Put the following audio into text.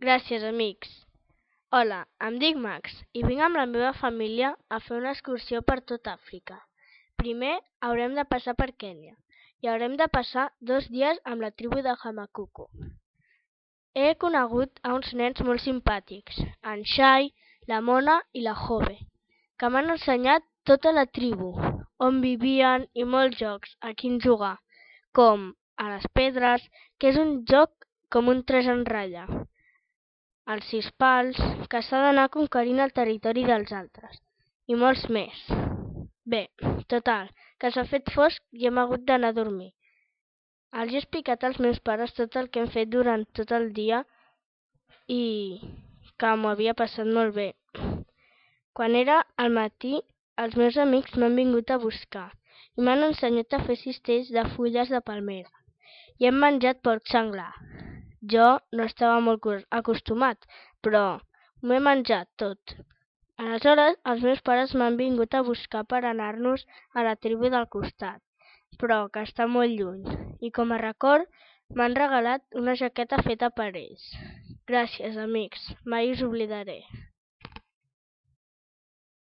Gràcies, amics. Hola, em dic Max i vinc amb la meva família a fer una excursió per tot Àfrica. Primer haurem de passar per Kènia i haurem de passar 2 dies amb la tribu de Hamakuku. He conegut a uns nens molt simpàtics, en Shai, la Mona i la Jove, que m'han ensenyat tota la tribu, on vivien i molts jocs a quins jugar, com a les pedres, que és un joc com un 3 en ratlla, els 6 pals, que s'ha d'anar conquerint el territori dels altres, i molts més. Bé, total, que s'ha fet fosc i hem hagut d'anar a dormir. Els he explicat als meus pares tot el que hem fet durant tot el dia i que m'ho havia passat molt bé. Quan era al matí, els meus amics m'han vingut a buscar i m'han ensenyat a fer cistells de fulles de palmera i hem menjat porc senglar. Jo no estava molt acostumat, però m'ho he menjat tot. Aleshores, els meus pares m'han vingut a buscar per anar-nos a la tribu del costat, però que està molt lluny, i com a record m'han regalat una jaqueta feta per ells. Gràcies, amics, mai us oblidaré.